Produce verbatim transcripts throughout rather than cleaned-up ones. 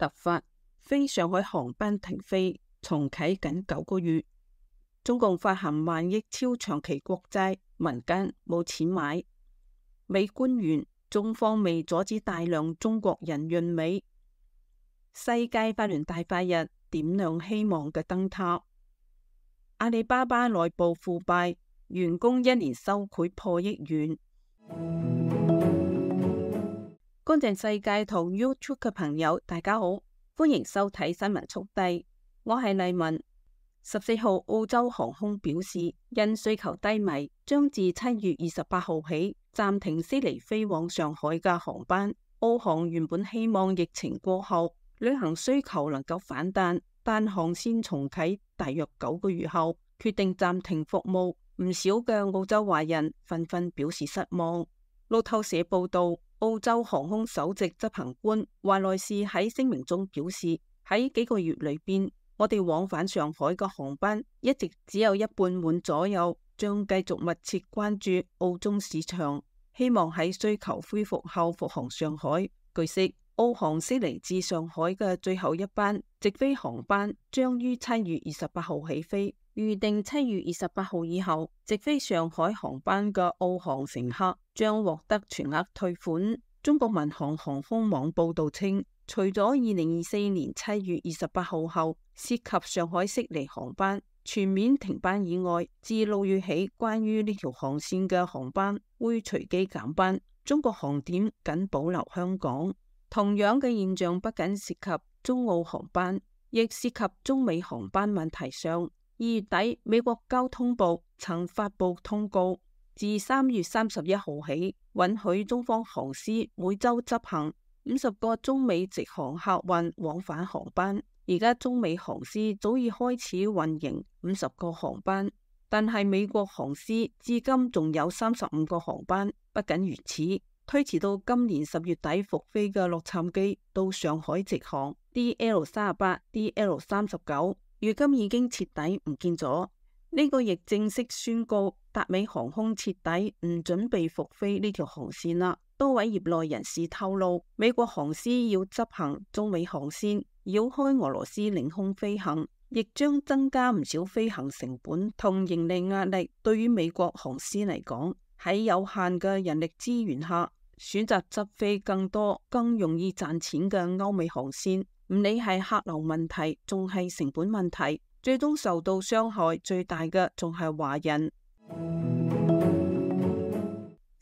突發，飛上海航班停飛，重啟僅九個月。中共發行萬億超長期國債，民間冇錢買。美官員，中方未阻止大量中國人潤美。世界法聯大法日點亮希望嘅燈塔。阿里巴巴內部腐敗，員工一年收賄破億元。乾淨世界同 YouTube 嘅朋友，大家好，歡迎收睇新聞速遞，我係麗文。十四號，澳洲航空表示，因需求低迷，將自七月二十八號起暫停悉尼飛往上海嘅航班。澳航原本希望疫情過後旅行需求能夠反彈，但航線重啟大約九個月後決定暫停服務，唔少嘅澳洲華人紛紛表示失望。路透社報道，澳洲航空首席執行官華萊士喺聲明中表示，喺幾個月裏邊，我哋往返上海嘅航班一直只有一半滿左右，將繼續密切關注澳中市場，希望喺需求恢復後復航上海。據悉，澳航悉尼至上海嘅最後一班直飛航班將於七月二十八號起飛，預定七月二十八號以後直飛上海航班嘅澳航乘客將獲得全額退款。中國民航航空網報道稱，除咗二零二四年七月二十八號後涉及上海悉尼航班全面停班以外，自六月起關於呢條航線嘅航班會隨機減班，中國航點僅保留香港。同樣嘅現象不僅涉及中澳航班，亦涉及中美航班問題上。二月底，美國交通部曾發布通告，自三月三十一號起，允許中方航司每周執行五十個中美直航客運往返航班。而家中美航司早已開始運營五十個航班，但係美國航司至今仲有三十五個航班。不僅如此，推遲到今年十月底復飛嘅洛杉磯到上海直航 D L 三十八、D L 三十九，如今已經徹底唔見咗。呢個亦正式宣告達美航空徹底唔準備復飛呢條航線啦。多位業內人士透露，美國航司要執行中美航線，繞開俄羅斯領空飛行，亦將增加唔少飛行成本同盈利壓力。對於美國航司嚟講，喺有限嘅人力資源下，選擇執飛更多、更容易賺錢嘅歐美航線，唔理係客流問題，仲係成本問題，最終受到傷害最大嘅仲係華人。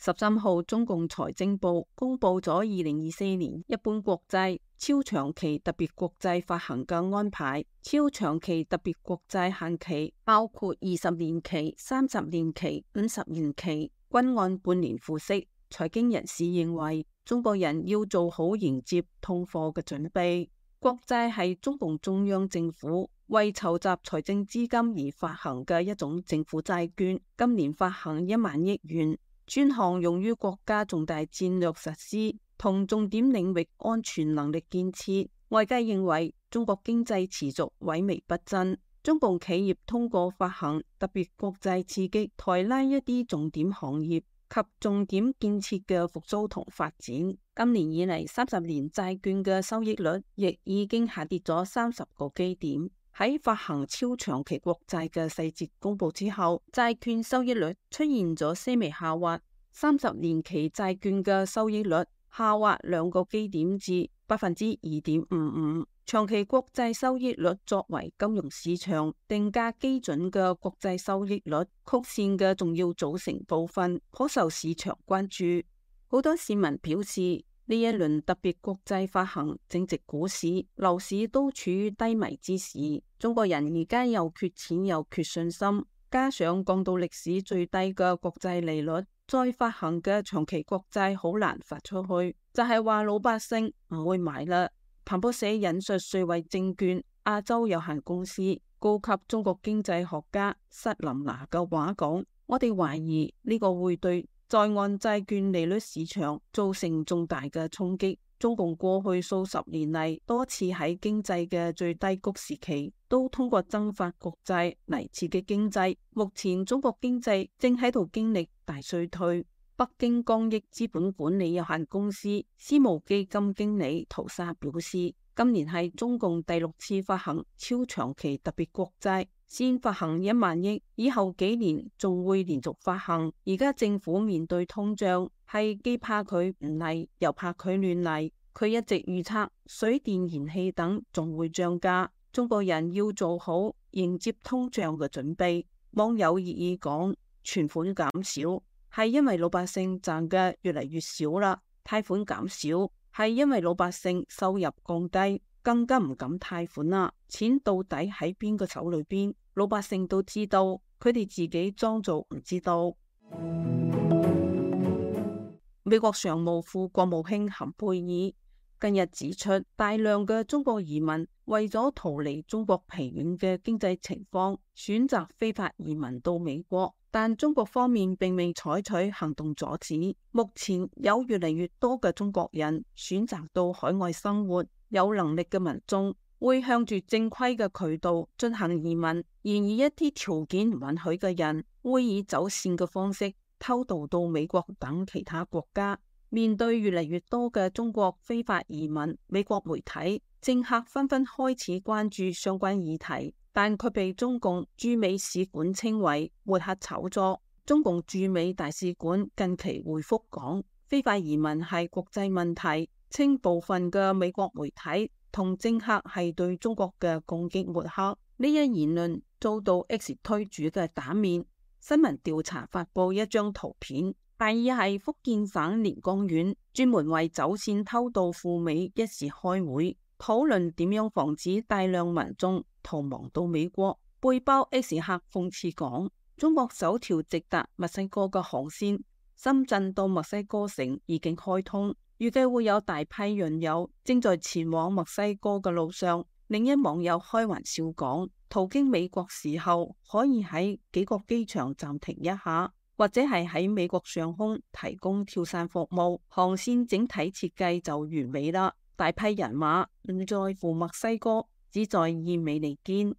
十三號，中共財政部公布咗二零二四年一般國債超長期特別國債發行嘅安排。超長期特別國債限期包括二十年期、三十年期、五十年期，均按半年付息。財經人士認為，中國人要做好迎接通貨嘅準備。國債係中共中央政府為籌集財政資金而發行嘅一種政府債券，今年發行一萬億元，專項用於國家重大戰略實施同重點領域安全能力建設。外界認為，中國經濟持續萎靡不振，中共企業通過發行特別國債刺激抬拉一啲重點行業及重點建設嘅復甦同發展。今年以嚟，三十年債券嘅收益率亦已經下跌咗三十個基點。喺發行超長期國債嘅細節公布之後，債券收益率出現咗些微下滑。三十年期債券嘅收益率下滑兩個基點至百分之二點五五。長期國債收益率作為金融市場定價基準嘅國債收益率曲線嘅重要組成部分，頗受市場關注。好多市民表示，呢一輪特別國債發行正值股市、樓市都處於低迷之時，中國人而家又缺錢又缺信心，加上降到歷史最低嘅國債利率，再發行嘅長期國債好難發出去，就係話老百姓唔會買啦。彭博社引述瑞維證券亞洲有限公司高級中國經濟學家塞林拿嘅話講，我哋懷疑呢個會對在岸債券利率市場造成重大嘅衝擊。中共過去數十年嚟多次喺經濟嘅最低谷時期，都通過增發國債嚟刺激經濟。目前中國經濟正喺度經歷大衰退。北京光益資本管理有限公司私募基金經理陶沙表示，今年係中共第六次發行超長期特別國債，先發行一萬億，以後幾年仲會連續發行。而家政府面對通脹，係既怕佢唔嚟，又怕佢亂嚟。佢一直預測水電燃氣等仲會漲價，中國人要做好迎接通脹嘅準備。網友熱議講，存款減少係因為老百姓賺嘅越嚟越少啦，貸款減少係因為老百姓收入降低，更加唔敢貸款啦。錢到底喺邊個手裏邊，老百姓都知道，佢哋自己裝作唔知道。美國常務副國務卿坎貝爾近日指出，大量嘅中國移民為咗逃離中國疲軟嘅經濟情況，選擇非法移民到美國，但中國方面並未採取行動阻止。目前有越嚟越多嘅中國人選擇到海外生活，有能力嘅民眾會向住正規嘅渠道進行移民，然而一啲條件唔允許嘅人會以走線嘅方式偷渡到美國等其他國家。面對越嚟越多嘅中國非法移民，美國媒體、政客紛紛開始關注相關議題，但卻被中共駐美使館稱為抹黑炒作。中共駐美大使館近期回覆講，非法移民係國際問題，稱部分嘅美國媒體同政客係對中國嘅攻擊抹黑。呢一言論遭到 X 推主嘅打面。新聞調查發布一張圖片，大意係福建省連江縣專門為走線偷渡赴美一事開會，討論點樣防止大量民眾逃亡到美國。背包 X 客諷刺講，中國首條直達墨西哥嘅航線深圳到墨西哥城已經開通，預計會有大批人友正在前往墨西哥嘅路上。另一網友開玩笑講，途經美國時候可以喺幾個機場暫停一下，或者係喺美國上空提供跳傘服務，航線整體設計就完美啦。大批人馬唔在乎墨西哥，只在意美利堅。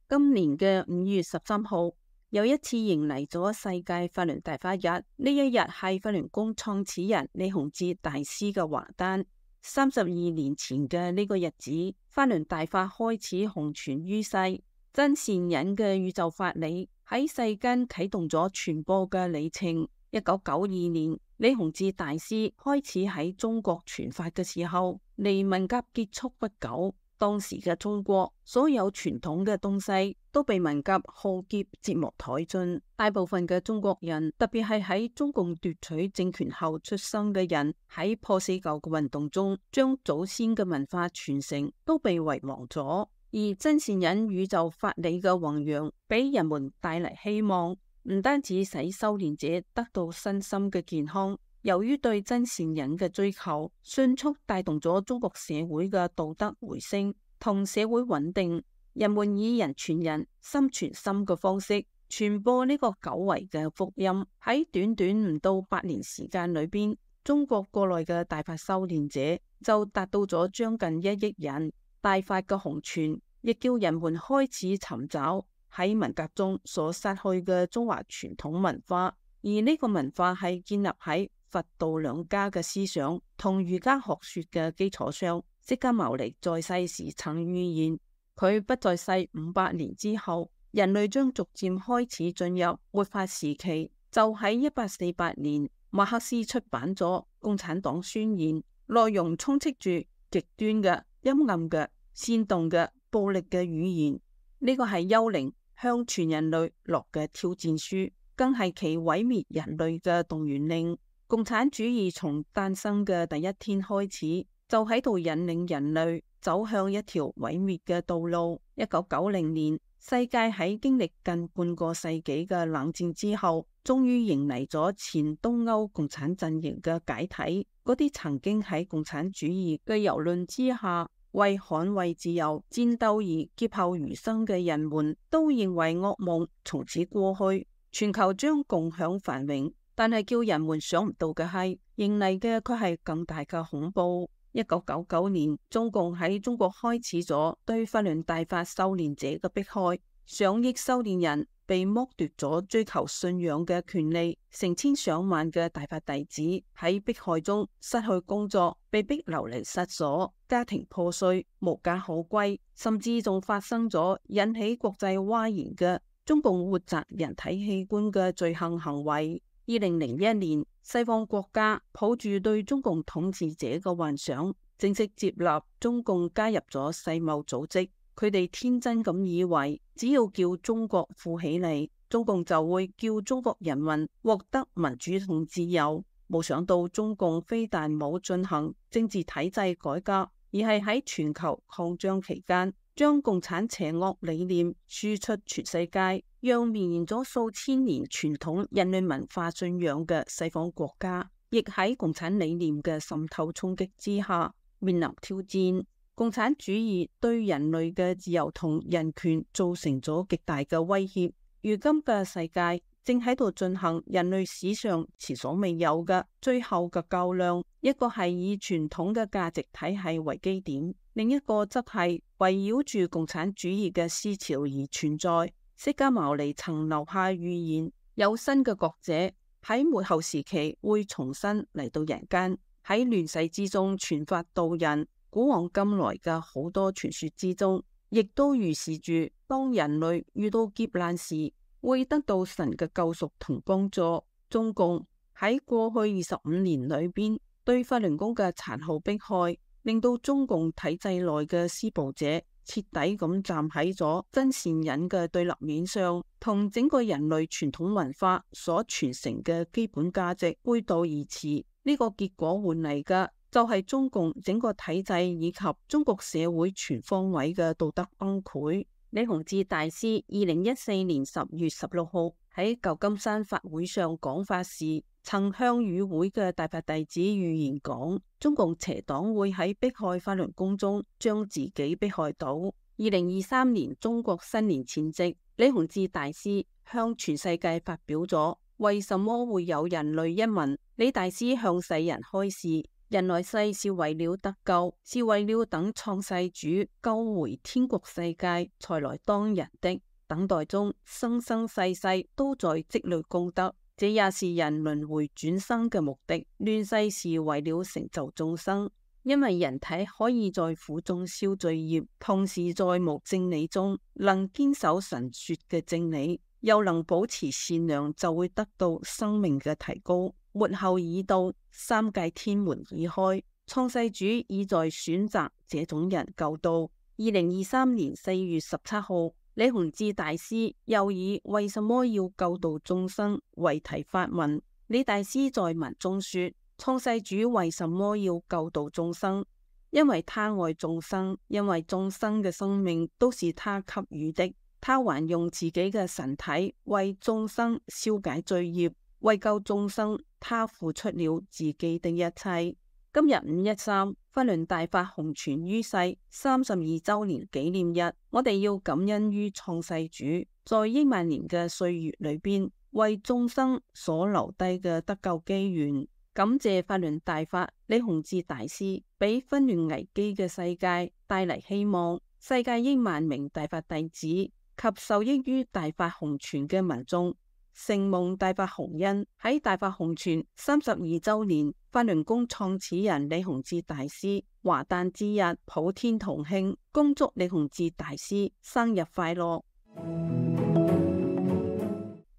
今年嘅五月十三號，又一次迎嚟咗世界法輪大法日。呢一日係法輪功創始人李洪志大師嘅華誕。三十二年前嘅呢個日子，法輪大法開始紅傳於世，真善忍嘅宇宙法理喺世間啟動咗傳播嘅里程。一九九二年，李洪志大師開始喺中國傳法嘅時候，離文革結束不久，當時嘅中國所有傳統嘅東西都被文革浩劫折磨殆盡。大部分嘅中國人，特別係喺中共奪取政權後出生嘅人，喺破四舊嘅運動中，將祖先嘅文化傳承都被遺忘咗。而真善忍宇宙法理嘅弘揚，俾人們帶嚟希望，唔單止使修煉者得到身心嘅健康，由於對真善忍嘅追求，迅速帶動咗中國社會嘅道德回升同社會穩定。人們以人傳人、心傳心嘅方式傳播呢個久違嘅福音。喺短短唔到八年時間裏邊，中國國內嘅大法修煉者就達到咗將近一億人。大法嘅紅傳亦叫人們開始尋找喺文革中所失去嘅中華傳統文化，而呢個文化係建立喺佛道兩家嘅思想同儒家學說嘅基礎上。釋迦牟尼在世時曾預言，佢不在世五百年之後，人類將逐漸開始進入末法時期。就喺一八四八年，馬克思出版咗《共產黨宣言》，內容充斥住極端嘅、陰暗嘅、煽動嘅、暴力嘅語言。呢個係幽靈向全人類落嘅挑戰書，更係其毀滅人類嘅動員令。共產主義從誕生嘅第一天開始，就喺度引領人類走向一條毀滅嘅道路。一九九零年，世界喺經歷近半個世紀嘅冷戰之後，終於迎嚟咗前東歐共產陣營嘅解體。嗰啲曾經喺共產主義嘅蹂躪之下為捍衛自由戰鬥而劫後餘生嘅人們，都認為噩夢從此過去，全球將共享繁榮。但係叫人們想唔到嘅係，迎嚟嘅佢係更大嘅恐怖。一九九九年，中共喺中國開始咗對法輪大法修煉者嘅迫害，上億修煉人被剝奪咗追求信仰嘅權利，成千上萬嘅大法弟子喺迫害中失去工作，被逼流離失所，家庭破碎，無家可歸，甚至仲發生咗引起國際譁然嘅中共活摘人體器官嘅罪行行為。二零零一年，西方國家抱住對中共統治者嘅幻想，正式接納中共加入咗世貿組織。佢哋天真咁以為，只要叫中國富起嚟，中共就會叫中國人民獲得民主同自由。冇想到中共非但冇進行政治體制改革，而係喺全球擴張期間，將共產邪惡理念輸出全世界，讓綿延咗數千年傳統人類文化信仰嘅西方國家，亦喺共產理念嘅滲透衝擊之下面臨挑戰。共產主義對人類嘅自由同人權造成咗極大嘅威脅。如今嘅世界正喺度進行人類史上前所未有嘅最後嘅較量，一個係以傳統嘅價值體系為基點，另一個則係圍繞住共產主義嘅思潮而存在。釋迦牟尼曾留下預言，有新嘅覺者喺末後時期會重新嚟到人間，喺亂世之中傳法度人。古往今來嘅好多傳說之中，亦都預示住當人類遇到劫難時，會得到神嘅救贖同幫助。中共喺過去二十五年裏邊對法輪功嘅殘酷迫害，令到中共體制內嘅施暴者徹底咁站喺咗真善忍嘅對立面上，同整個人類傳統文化所傳承嘅基本價值背道而馳。呢個結果換嚟嘅就係中共整個體制以及中國社會全方位嘅道德崩潰。李洪志大師二零一四年十月十六號喺舊金山法會上講法時，曾向與會嘅大法弟子預言講，中共邪黨會喺迫害法輪功中將自己迫害到。二零二三年中國新年前夕，李洪志大師向全世界發表咗為什麼會有人類一文。李大師向世人開示，人來世是為了得救，是為了等創世主救回天國世界才來當人的。等待中生生世世都在積累功德，這也是人輪迴轉生嘅目的。亂世是為了成就眾生，因為人體可以在苦中消罪業，同時在無正理中能堅守神說嘅正理，又能保持善良，就會得到生命嘅提高。末後已到，三界天門已開，創世主已在選擇這種人救度。二零二三年四月十七號，李洪志大師又以為什麼要救度眾生為題發文。李大師在文中說，創世主為什麼要救度眾生？因為他愛眾生，因為眾生嘅生命都是他給予的，他還用自己嘅神體為眾生消解罪業。為救眾生，他付出了自己的一切。今日五一三，法輪大法弘傳於世三十二周年紀念日，我哋要感恩於創世主，在億萬年嘅歲月裏邊，為眾生所留低嘅得救機緣。感謝法輪大法李洪志大師，俾紛亂危機嘅世界帶嚟希望。世界億萬名大法弟子及受益於大法弘傳嘅民眾，承蒙大法洪恩。喺大法弘傳三十二周年，法輪功創始人李洪志大師華誕之日，普天同慶，恭祝李洪志大師生日快樂。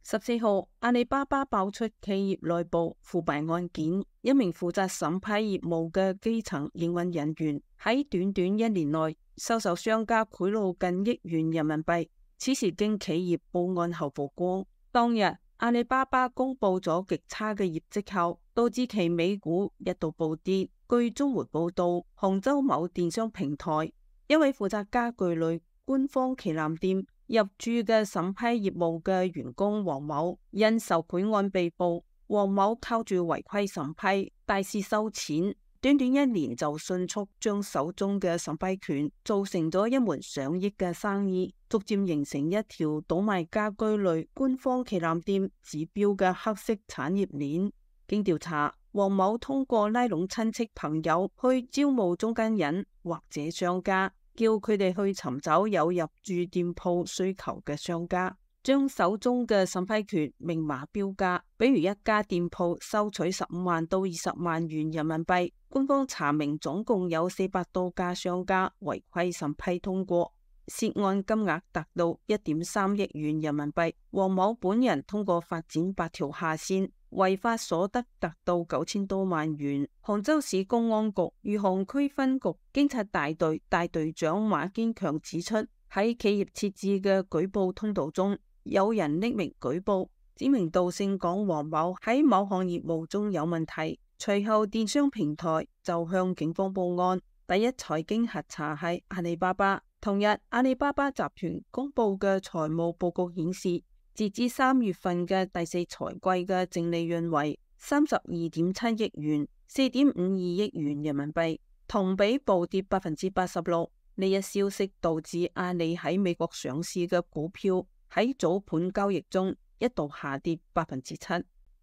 十四號，阿里巴巴爆出企業內部腐敗案件，一名負責審批業務嘅基層營運人員喺短短一年內收受商家賄賂近億元人民幣。此事經企業報案後曝光。當日阿里巴巴公布咗極差嘅業績後，導致其美股一度暴跌。據中媒報道，杭州某電商平台一位負責家具類官方旗艦店入駐嘅審批業務嘅員工黃某因受賄案被捕。黃某靠住違規審批大肆收錢，短短一年就迅速將手中嘅審批權做成咗一門上億嘅生意，逐漸形成一條倒賣家居類官方旗艦店指標嘅黑色產業鏈。經調查，黃某通過拉攏親戚朋友去招募中間人或者商家，叫佢哋去尋找有入駐店鋪需求嘅商家，將手中嘅審批權明碼標價，比如一家店鋪收取十五萬到二十萬元人民幣，官方查明總共有四百多家商家違規審批通過，涉案金額達到一點三億元人民幣。黃某本人通過發展八條下線，違法所得達到九千多萬元。杭州市公安局餘杭區分局警察大隊大隊長馬堅強指出，喺企業設置嘅舉報通道中，有人匿名舉報，指名道姓講黃某喺某項業務中有問題，隨後電商平台就向警方報案。第一財經核查係阿里巴巴。同日，阿里巴巴集團公布嘅財務報告顯示，截至三月份嘅第四財季嘅淨利潤為三十二點七億元，四點五二億元人民幣，同比暴跌百分之八十六。呢一消息導致阿里喺美國上市嘅股票喺早盤交易中一度下跌百分之七。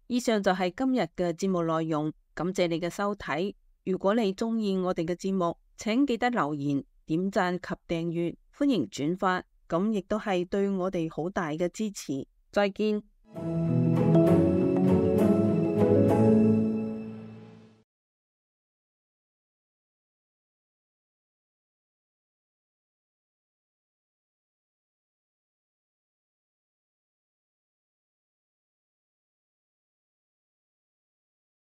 以上就係今日嘅節目內容，感謝你嘅收睇。如果你中意我哋嘅節目，請記得留言、點讚及訂閱，歡迎轉發，咁亦都係對我哋好大嘅支持。再見。